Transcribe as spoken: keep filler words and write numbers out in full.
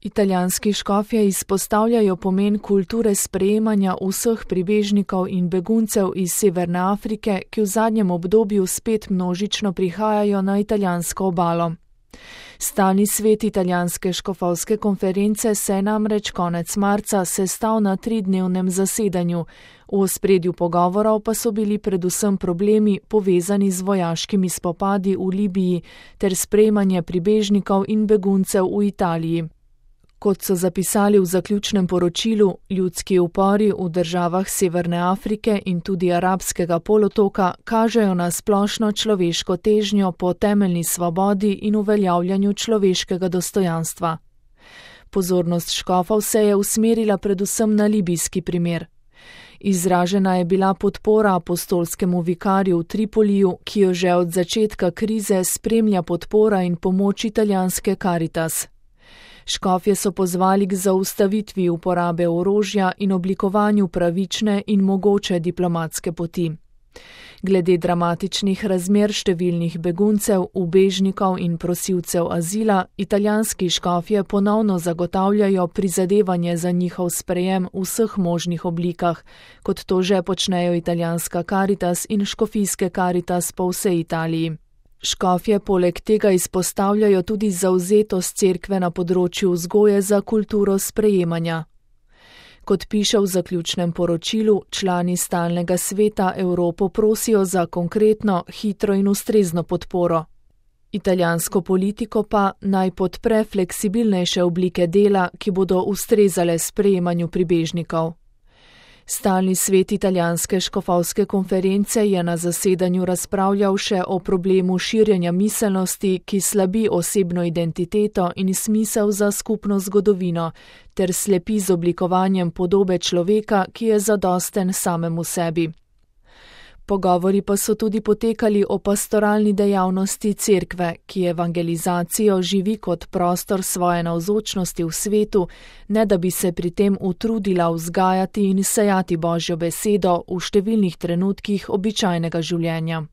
Italijanski škofje izpostavljajo pomen kulture sprejemanja vseh pribežnikov in beguncev iz Severne Afrike, ki v zadnjem obdobju spet množično prihajajo na italijansko obalo. Stalni svet italijanske škofovske konference se je namreč konec marca sestal na tridnevnem zasedanju, v ospredju pogovorov pa so bili predvsem problemi povezani z vojaškimi spopadi v Libiji ter sprejemanje pribežnikov in beguncev v Italiji. Kot so zapisali v zaključnem poročilu, ljudski upori v državah Severne Afrike in tudi arabskega polotoka kažejo na splošno človeško težnjo po temeljni svobodi in uveljavljanju človeškega dostojanstva. Pozornost škofov se je usmerila predvsem na libijski primer. Izražena je bila podpora apostolskemu vikarju v Tripoliju, ki jo že od začetka krize spremlja podpora in pomoč italijanske Caritas. Škofje so pozvali k zaustavitvi uporabe orožja in oblikovanju pravične in mogoče diplomatske poti. Glede dramatičnih razmer številnih beguncev, ubežnikov in prosilcev azila, italijanski škofje ponovno zagotavljajo prizadevanje za njihov sprejem v vseh možnih oblikah, kot to že počnejo italijanska Caritas in škofijske Caritas po vsej Italiji. Škofje poleg tega izpostavljajo tudi zavzetost cerkve na področju vzgoje za kulturo sprejemanja. Kot piše v zaključnem poročilu, člani stalnega sveta Evropo prosijo za konkretno, hitro in ustrezno podporo. Italijansko politiko pa naj podpre fleksibilnejše oblike dela, ki bodo ustrezale sprejemanju pribežnikov. Stalni svet italijanske škofovske konference je na zasedanju razpravljal še o problemu širjenja miselnosti, ki slabi osebno identiteto in smisel za skupno zgodovino, ter slepi z oblikovanjem podobe človeka, ki je zadosten samemu sebi. Pogovori pa so tudi potekali o pastoralni dejavnosti cerkve, ki evangelizacijo živi kot prostor svoje navzočnosti v svetu, ne da bi se pri tem utrudila vzgajati in sejati Božjo besedo v številnih trenutkih običajnega življenja.